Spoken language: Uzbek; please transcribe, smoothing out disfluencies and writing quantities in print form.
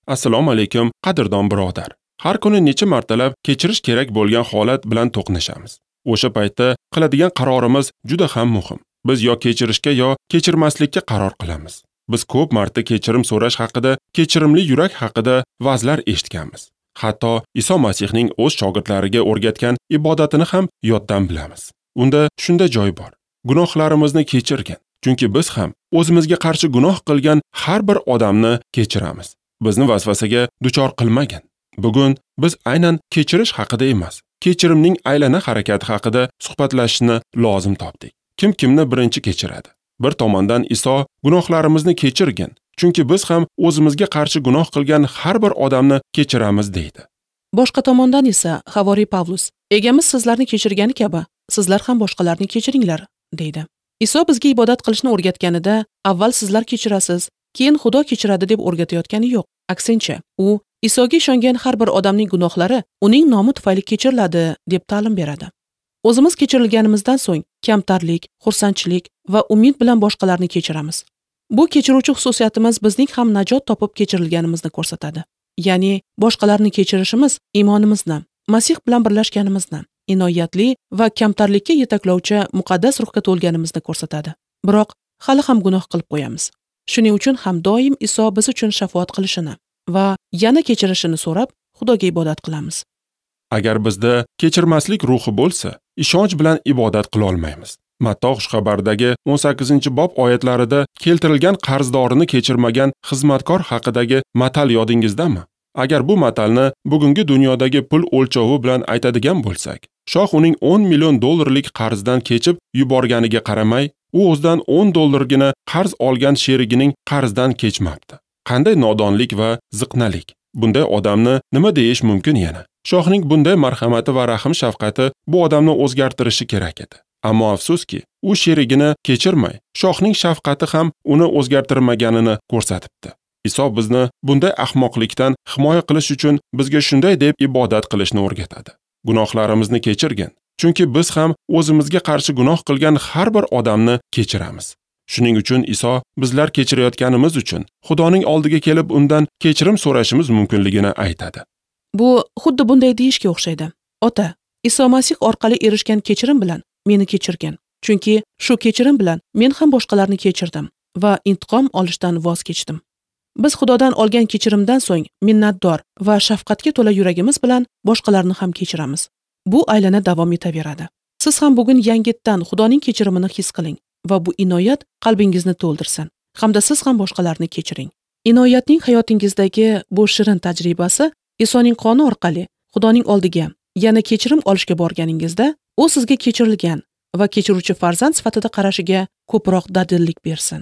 Assalomu alaykum, qadrdon birodar. Har kuni necha martalab kechirish kerak bo'lgan holat bilan to'qnashamiz. O'sha paytda qiladigan qarorimiz juda ham muhim. Biz yo kechirishga yo kechirmaslikka qaror qilamiz. Biz ko'p marta kechirim so'rash haqida, kechirimli yurak haqida va'zlar eshitganmiz. Hatto Iso Masihning o'z shogirdlariga o'rgatgan ibodatini ham yoddan bilamiz. Unda shunday joy bor: gunohlarimizni kechirgin, chunki biz ham o'zimizga qarshi gunoh qilgan har bir odamni kechiramiz. Bizni vasvasaga duchor qilmagin. Bugun biz aynan kechirish haqida emas, kechirimning aylana harakati haqida suhbatlashishni lozim topdik. Kim kimni birinchi kechiradi? Bir tomondan Iso gunohlarimizni kechirgin, chunki biz ham o'zimizga qarshi gunoh qilgan har bir odamni kechiramiz deydi. Boshqa tomondan esa Havoriy Pavlus, Egamiz sizlarni kechirgani kabi, sizlar ham boshqalarni kechiringlar, deydi. Iso bizga ibodat qilishni o'rgatganida, avval sizlar kechirasiz, keyin Xudo kechiradi deb o'rgatayotgani yo'q. Aksincha, u Isoga ishongan har bir odamning gunohlari uning nomi tufayli kechiriladi deb ta'lim beradi. O'zimiz kechirilganimizdan so'ng kamtarlik, xursandchilik va umid bilan boshqalarni kechiramiz. Bu kechiruvchi xususiyatimiz bizning ham najot topib kechirilganimizni ko'rsatadi. Ya'ni boshqalarni kechirishimiz iymonimizni, Masih bilan birlashganimizni, inoyatli va kamtarlikka yetaklovchi muqaddas ruhga to'lganimizni ko'rsatadi. Biroq hali ham gunoh qilib qo'yamiz. Shuning uchun ham doim Iso biz uchun shafoat qilishini va yana kechirishini so'rab Xudoga ibodat qilamiz. Agar bizda kechirmaslik ruhi bo'lsa, ishonch bilan ibodat qila olmaymiz. Matto xushxabardagi 18-bob oyatlarida keltirilgan qarzdorini kechirmagan xizmatkor haqidagi matal yodingizdami? Agar bu matalni bugungi dunyodagi pul o'lchovi bilan aytadigan bo'lsak, shoh uning 10 million dollarlik qarzdan kechib yuborganiga qaramay, u o'zidan 10 dollargina qarz olgan sherigining qarzdan kechmabdi. Qanday nodonlik va ziqnalik! Bunday odamni nima deyish mumkin yana? Shohning bunday marhamati va rahm shafqati bu odamni o'zgartirishi kerak edi. Ammo afsuski, u sherigini kechirmay, shohning shafqati ham uni o'zgartirmaganini ko'rsatibdi. Iso bizni bunday ahmoqlikdan himoya qilish uchun bizga shunday deb ibodat qilishni o'rgatadi: gunohlarimizni kechirgin, chunki biz ham o'zimizga qarshi gunoh qilgan har bir odamni kechiramiz. Shuning uchun Iso bizlar kechirayotganimiz uchun Xudoning oldiga kelib undan kechirim so'rashimiz mumkinligini aytadi. Bu xuddi bunday deyishga o'xshaydi: Ota, Iso Masih orqali erishgan kechirim bilan meni kechirgin, chunki shu kechirim bilan men ham boshqalarni kechirdim va intiqom olishdan voz kechdim. Biz Xudodan olgan kechirimdan so'ng minnatdor va shafqatga to'la yuragimiz bilan boshqalarni ham kechiramiz. Bu aylana davom etaveradi. Siz ham bugun yangitdan Xudoning kechirimini his qiling va bu inoyat qalbingizni to'ldirsin hamda siz ham boshqalarni kechiring. Inoyatning hayotingizdagi bu shirin tajribasi Isoning qoni orqali Xudoning oldiga yana kechirim olishga borganingizda, u sizga kechirilgan va kechiruvchi farzand sifatida qarashiga ko'proq dadillik bersin.